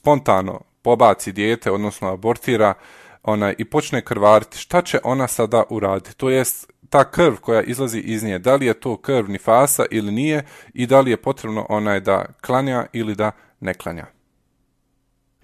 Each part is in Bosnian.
spontano pobaci dijete, odnosno abortira i počne krvariti, šta će ona sada uraditi? To jest ta krv koja izlazi iz nje, da li je to krv nifasa ili nije i da li je potrebno da klanja ili da ne klanja.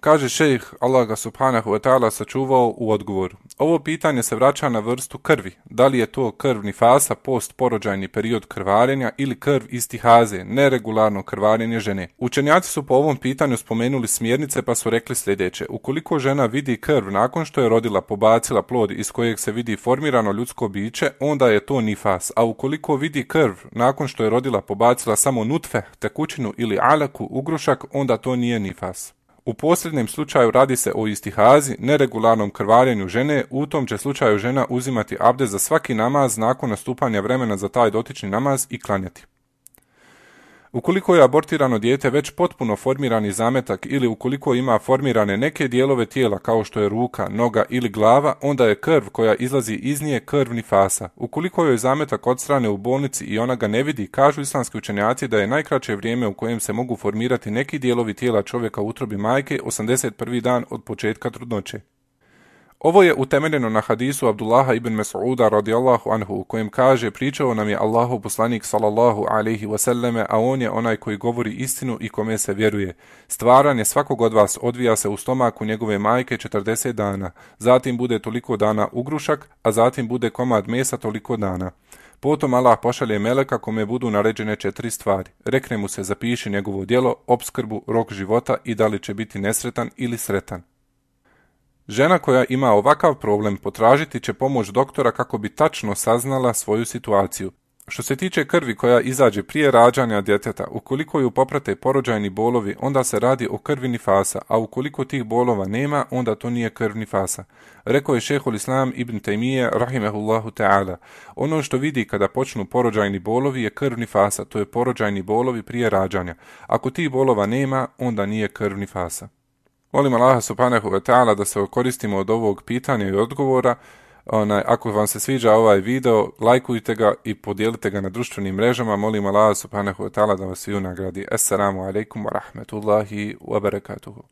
Kaže šejh, Allah ga subhanahu wa ta'ala sačuvao u odgovoru. Ovo pitanje se vraća na vrstu krvi. Da li je to krv nifasa, postporođajni period krvarenja ili krv istihaze, neregularno krvarenje žene. Učenjaci su po ovom pitanju spomenuli smjernice pa su rekli sljedeće. Ukoliko žena vidi krv nakon što je rodila, pobacila plod iz kojeg se vidi formirano ljudsko biće, onda je to nifas. A ukoliko vidi krv nakon što je rodila, pobacila samo nutfe, tekućinu ili alaku, ugrušak, onda to nije nifas. U posljednjem slučaju radi se o istihazi, neregularnom krvarenju žene, u tom će slučaju žena uzimati abdest za svaki namaz nakon nastupanja vremena za taj dotični namaz i klanjati. Ukoliko je abortirano dijete već potpuno formirani zametak ili ukoliko ima formirane neke dijelove tijela kao što je ruka, noga ili glava, onda je krv koja izlazi iz nje krv nifasa. Ukoliko joj zametak odstrane u bolnici i ona ga ne vidi, kažu islamski učenjaci da je najkraće vrijeme u kojem se mogu formirati neki dijelovi tijela čovjeka u utrobi majke 81. dan od početka trudnoće. Ovo je utemeljeno na hadisu Abdullaha ibn Mas'uda radijallahu anhu u kojem kaže pričao nam je Allahov poslanik sallallahu alejhi ve selleme, a on je onaj koji govori istinu i kome se vjeruje. Stvaranje svakog od vas odvija se u stomaku njegove majke 40 dana, zatim bude toliko dana ugrušak, a zatim bude komad mesa toliko dana. Potom Allah pošalje meleka kome budu naređene 4 stvari. Rekne mu se zapiši njegovo djelo, opskrbu, rok života i da li će biti nesretan ili sretan. Žena koja ima ovakav problem potražiti će pomoć doktora kako bi tačno saznala svoju situaciju. Što se tiče krvi koja izađe prije rađanja djeteta, ukoliko ju poprate porođajni bolovi, onda se radi o krvi nifasa, a ukoliko tih bolova nema, onda to nije krv nifasa. Rekao je šejhul Islam ibn Taymije rahimehullahu ta'ala. Ono što vidi kada počnu porođajni bolovi je krv nifasa, to je porođajni bolovi prije rađanja. Ako tih bolova nema, onda nije krv nifasa. Molim Allaha subhanahu wa ta'ala da se koristimo od ovog pitanja i odgovora. Ako vam se sviđa ovaj video, lajkujte ga i podijelite ga na društvenim mrežama. Molim Allaha subhanahu wa ta'ala da vas svi nagradi. Assalamu alaikum wa rahmetullahi wa barakatuhu.